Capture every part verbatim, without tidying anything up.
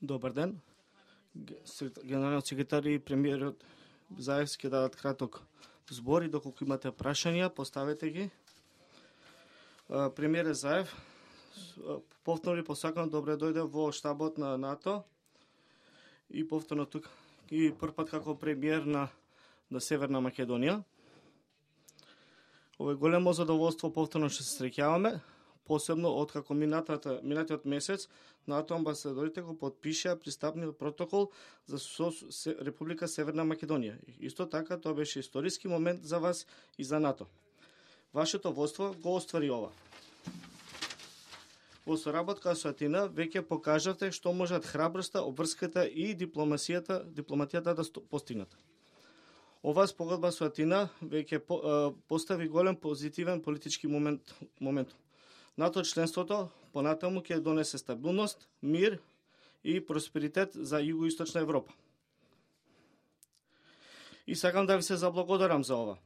Добар ден. Генералниот секретар и премиерот Заев ќе дадат краток збор и доколку имате прашања, поставете ги. Премиер Заев, повторно ви посакам добре дојде во штабот на НАТО и повторно тук и првпат како премиер на, на Северна Македонија. Ово е големо задоволство, повторно што се среќаваме, посебно откако минатата, минатиот месец НАТО амбасадорите го подпишаа пристапниот протокол за со Република Северна Македонија. Исто така, тоа беше историски момент за вас и за НАТО. Вашето водство го оствари ова. Во соработка со Атина веќе покажавте што можат храброста, обврската и дипломасијата, дипломатијата да постигнат. Ова спогодба со Атина веќе по, постави голем позитивен политички момент. момент. НАТО членството понатаму ќе донесе стабилност, мир и просперитет за Југоисточна Европа. И сакам да ви се заблагодарам за ова.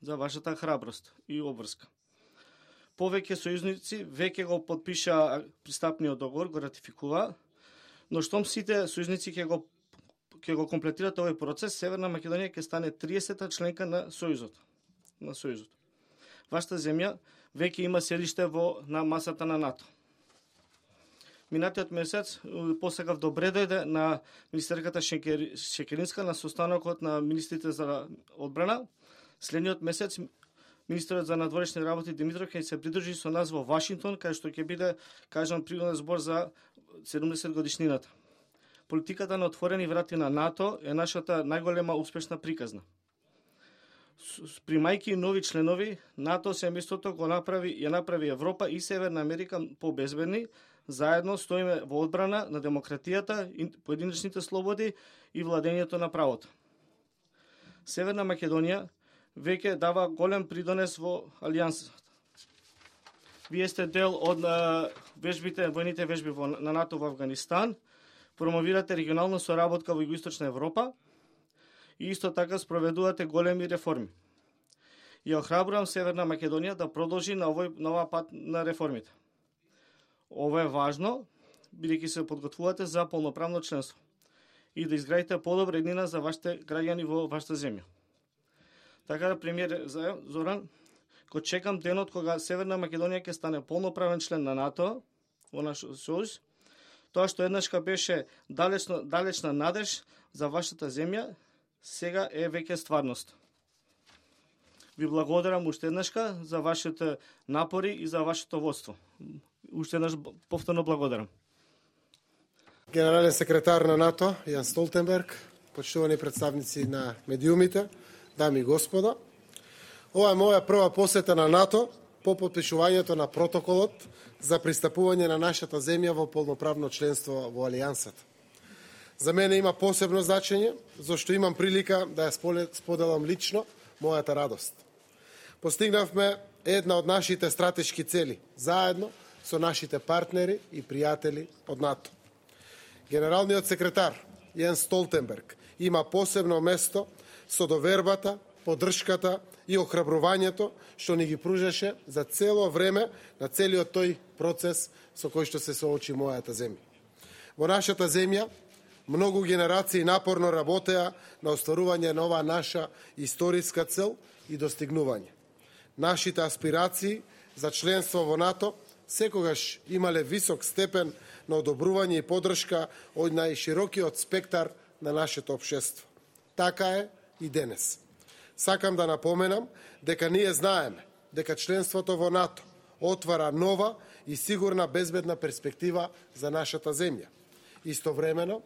За вашата храброст и обврска. Повеќе сојузници веќе го подпиша пристапниот договор, го ратификува, но штом сите сојузници ќе го ќе го комплетираат овој процес, Северна Македонија ќе стане триесета членка на Сојузот. На Сојузот. Вашата земја веќе има седиште во на масата на НАТО. Минатиот месец посакав добре дојде на министерката Шекеринска на состанокот на министрите за одбрана. Следниот месец министерот за надворешни работи Димитров ќе се придружи со нас во Вашингтон, кај што ќе биде кажан пригоден збор за седумдесет годишнината. Политиката на отворени врати на НАТО е нашата најголема успешна приказна. Примајки нови членови, НАТО се местото го направи, ја направи Европа и Северна Америка побезбедни, заедно стоиме во одбрана на демократијата, поединечните слободи и владењето на правото. Северна Македонија веќе дава голем придонес во алијансата. Вие сте дел од вежбите, војните вежби во, на НАТО во Афганистан, промовирате регионална соработка во Југоисточна Европа, и исто така спроведувате големи реформи. Ја охрабрувам Северна Македонија да продолжи на овој на оваа пат на реформите. Ова е важно, бидејќи се подготвувате за полноправно членство и да изградите подобра еднина за вашите граѓани во вашата земја. Така да, премиер Зоран, го чекам денот кога Северна Македонија ќе стане полноправен член на НАТО во нашиот сојуз. Тоа што еднашка беше далечно, далечна надеж за вашата земја, сега е веќе стварност. Ви благодарам уште еднашка за вашите напори и за вашето водство. Уште еднаш повторно благодарам. Генерален секретар на НАТО Јан Столтенберг, почитувани представници на медиумите, дами и господа, ова е моја прва посета на НАТО по подпишувањето на протоколот за пристапување на нашата земја во полноправно членство во Алијансата. За мене има посебно значење, зашто имам прилика да ја споделам лично мојата радост. Постигнавме една од нашите стратешки цели, заедно со нашите партнери и пријатели од НАТО. Генералниот секретар Јен Столтенберг има посебно место со довербата, поддршката и охрабрувањето што ни ги пружеше за цело време на целиот тој процес со кој што се соочи мојата земја. Во нашата земја многу генерации напорно работеа на остварување на оваа наша историска цел и достигнување. Нашите аспирации за членство во НАТО секогаш имале висок степен на одобрување и поддршка од најширокиот спектар на нашето општество. Така е и денес. Сакам да напоменам дека ние знаеме дека членството во НАТО отвара нова и сигурна безбедна перспектива за нашата земја. Истовремено,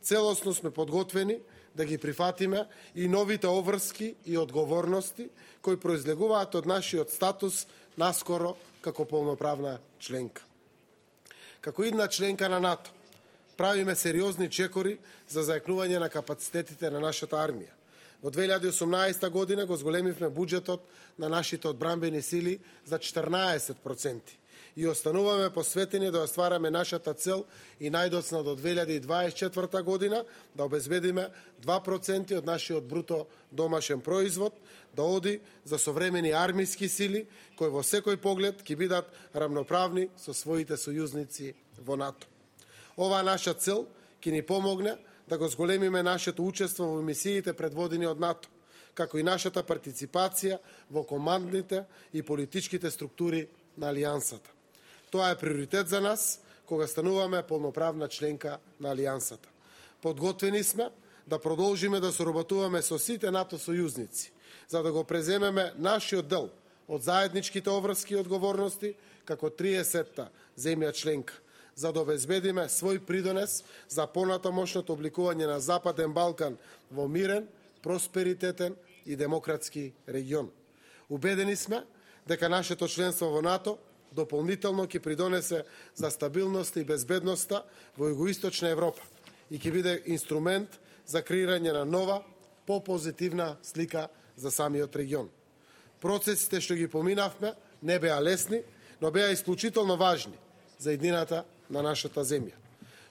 целосно сме подготвени да ги прифатиме и новите обврски и одговорности кои произлегуваат од нашиот статус наскоро како полноправна членка. Како една членка на НАТО, правиме сериозни чекори за зајакнување на капацитетите на нашата армија. Во две илјади и осумнаесета година го зголемивме буџетот на нашите одбранбени сили за четрнаесет проценти и остануваме посветени да оствараме нашата цел и најдоцна до две илјади и дваесет и четврта година да обезбедиме два проценти од нашиот бруто домашен производ да оди за современи армиски сили кои во секој поглед ќе бидат рамноправни со своите сојузници во НАТО. Оваа наша цел ќе ни помогне да го зголемиме нашето учество во мисиите предводени од НАТО, како и нашата партиципација во командните и политичките структури на Алијансата. Тоа е приоритет за нас кога стануваме полноправна членка на Алијансата. Подготвени сме да продолжиме да соработуваме со сите НАТО сојузници, за да го преземеме нашиот дел од заедничките обврски и одговорности како триесетта земја членка, за да обезбедиме свој придонес за понатамошното обликување на Западен Балкан во мирен, просперитетен и демократски регион. Убедени сме дека нашето членство во НАТО дополнително ќе придонесе за стабилноста и безбедноста во Југоисточна Европа и ќе биде инструмент за креирање на нова, попозитивна слика за самиот регион. Процесите што ги поминавме не беа лесни, но беа исклучително важни за иднината на нашата земја.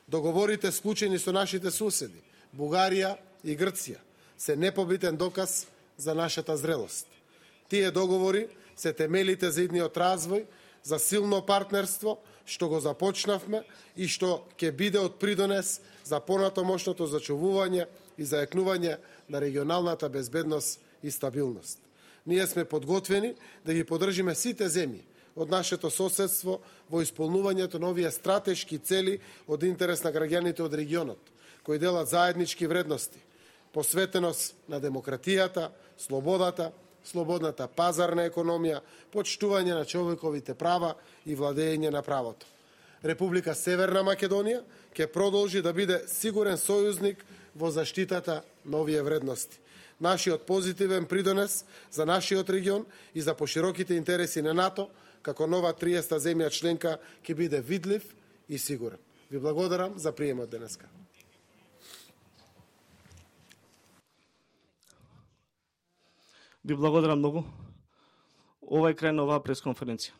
Договорите склучени со нашите суседи, Бугарија и Грција, се непобитен доказ за нашата зрелост. Тие договори се темелите за идниот развој, за силно партнерство што го започнавме и што ќе биде од придонес за понатамошното зачувување и зајакнување на регионалната безбедност и стабилност. Ние сме подготвени да ги поддржиме сите земји од нашето соседство во исполнувањето на овие стратешки цели од интерес на граѓаните од регионот, кои делат заеднички вредности, посветеност на демократијата, слободата, слободната пазарна економија, почитување на човековите права и владење на правото. Република Северна Македонија ќе продолжи да биде сигурен сојузник во заштитата на овие вредности. Нашиот позитивен придонес за нашиот регион и за пошироките интереси на НАТО, како нова триесетта земја членка, ќе биде видлив и сигурен. Ви благодарам за приемот денеска. Ви благодарам многу. Ова е крај на оваа пресконференција.